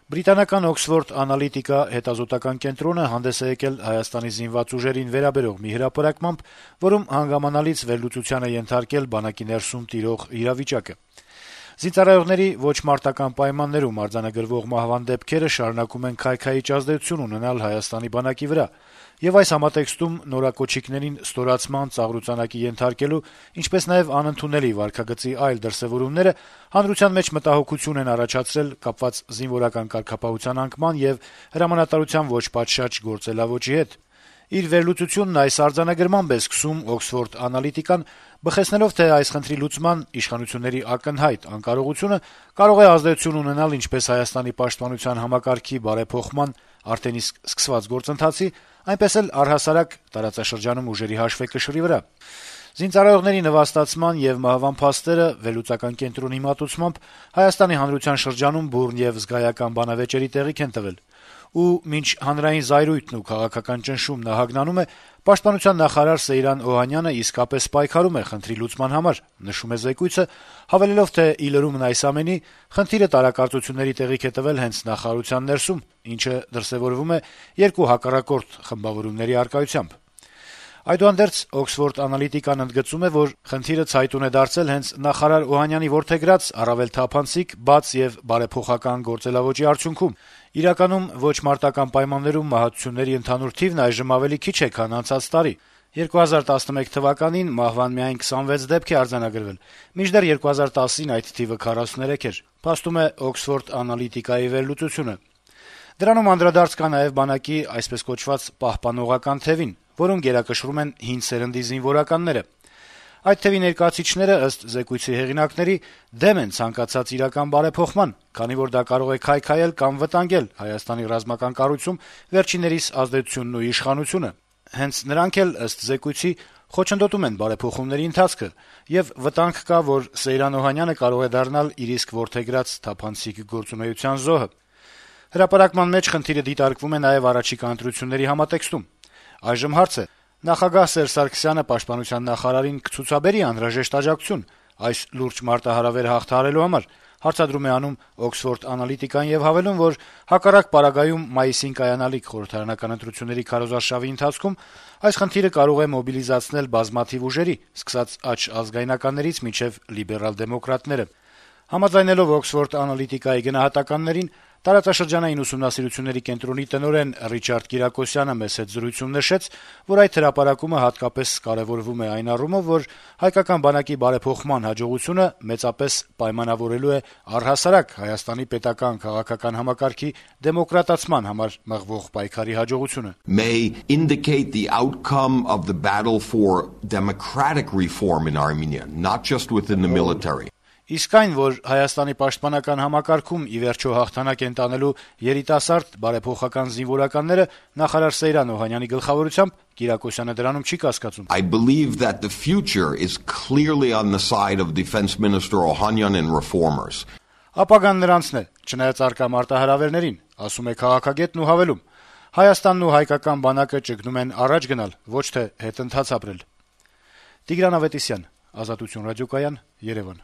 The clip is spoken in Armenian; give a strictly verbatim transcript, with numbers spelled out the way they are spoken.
Բրիտանական Oxford Analytica հետազոտական կենտրոնը հանդես է եկել Հայաստանի զինված ուժերին վերաբերող մի հրապարակմամբ, որում հանգամանալից վերլուծության է ենթարկել բանակի ներսում տիրող իրավիճակը։ Զինծառայողների ոչ մարտական պայմաններում արձանագրվող մահվան դեպքերը շարունակում են քայքայիչ ազդեցություն ունենալ Հայաստանի բանակի վրա, եւ այս համատեքստում նորակոչիկներին ստորացման ծաղրուծանակի ենթարկելու, ինչպես նաեւ անընդունելի վարքագծի այլ դրսեւորումները հանրության մեջ մտահոգություն են առաջացրել կապված զինվորական կարգապահության անկման եւ հրամանատարության ոչ պատշաճ գործելավոճի հետ։ Իր վերլուծությունն այս արձանագրմամբ է սկսում Oxford Analytica-ն, բխեցնելով, թե այս խնդրի լուծման իշխանությունների ակնհայտ անկարողությունը կարող է ազդեցություն ունենալ ինչպես Հայաստանի պաշտպանության համակարգի բարեփոխման արդեն իսկ սկսված գործընթացի, այնպես էլ առհասարակ տարածաշրջանում ուժերի հաշվեկշռի վրա։ Զինծառայողների նվաստացման եւ մահվան փաստերը վերլուծական կենտրոնի մատուցմամբ Հայաստանի հանրության շրջանում բուռն եւ զգայական բանավեճերի տեղիք են տվել, ու մինչ հանրային զայրույթն ու քաղաքական ճնշումն ահագնանում է, Պաշտպանության նախարար Սեյրան Օհանյանը իսկապես պայքարում է խնդրի լուծման համար, նշում է զեկույցը, հավելելով, թե ի լրումն այս ամենի, խնդիրը տարակարծությունների տեղիք է տվել հենց նախարարության ներսում, ինչը դրսեւորվում է երկու հակառակորդ խմբավորումների առկայությամբ։ Այդուհանդերձ Oxford Analytica-ն ընդգծում է, որ խնդիրը ցայտուն է դարձել հենց նախարար Օհանյանի որդեգրած առավել թափանցիկ, բաց եւ բարեփոխական գործելավոճի արդյունքում։ Իրականում ոչ մարտական պայմաններում մահացությունների ընդհանուր թիվն այժմ ավելի քիչ է, քան անցած տարի։ երկու հազար տասնմեկ թվականին մահվան միայն քսանվեց դեպք է արձանագրվել, մինչդեռ երկու հազար տասին այդ թիվը քառասուներեք էր, փաստում է Oxford Analytica-ի վերլուծությունը։ Դրանում անդրադարձ կա նաեւ բանակի այսպես կոչված պահպանողական թևին, որոնք գերակշռում են հին սերնդի զինվորականները։ Այդ թևի ներկայացուցիչները, ըստ զեկույցի հեղինակների, դեմ են ցանկացած իրական բարեփոխման, քանի որ դա կարող է քայքայել կամ վտանգել Հայաստանի ռազմական կառույցում վերջիններիս ազդեցությունն ու իշխանությունը։ Հենց նրանք էլ, ըստ զեկույցի, խոչընդոտում են բարեփոխումների ընթացքը, եւ վտանգ կա, որ Սեյրան Օհանյանը կարող է դառնալ իր իսկ որդեգրած թափանցիկ գործունեության զոհը։ Հրապարակման մեջ խնդիրը դիտարկվում է նաեւ առաջիկա ընտրությունների համատեքստում։ Այժմ հարց է. նախագահ Սերժ Սարգսյանը պաշտպանության նախարարին կցուցաբերի անհրաժեշտ աջակցություն այս լուրջ մարտահրավերը հաղթահարելու համար, հարցադրում է անում Oxford Analytica-ն եւ հավելում, որ հակառակ պարագայում մայիսին կայանալիք խորհրդարանական ընտրությունների քարոզարշավի ընթացքում այս խնդիրը կարող է մոբիլիզացնել բազմաթիվ ուժերի, սկսած աջ ազգայնականներից մինչեւ լիբերալ դեմոկրատները։ Համաձայնելով Oxford Analytica-ի գնահատականներին, տարածաշրջանային ուսումնասիրությունների կենտրոնի տնօրեն Ռիչարդ Կիրակոսյանը մեծ հետ զրույցում նշեց, որ այդ հրապարակումը հատկապես կարեւորվում է այն առումով, որ հայկական բանակի բարեփոխման հաջողությունը մեծապես պայմանավորելու է առհասարակ Հայաստանի պետական քաղաքական համակարգի դեմոկրատացման համար մղվող պայքարի հաջողությունը. may indicate the outcome of the battle for democratic reform in Armenia, not just within the military. Իսկ այն, որ Հայաստանի պաշտպանական համակարգում ի վերջո հաղթանակ են տանելու երիտասարդ բարեփոխական զինվորականները նախարար Սեյրան Օհանյանի գլխավորությամբ, Կիրակոսյանը դրանում չի կասկածում. I believe that the future is clearly on the side of Defense Minister Ohanyan and reformers. Ապագան նրանցն է, չնայած առկա մարտահրավերներին, ասում է քաղաքագետն ու հավելում. Հայաստանն ու հայկական բանակը ճգնում են առաջ գնալ, ոչ թե հետընթաց ապրել։ Տիգրան Ավետիսյան, Ազատություն ռադիոկայան, Երևան։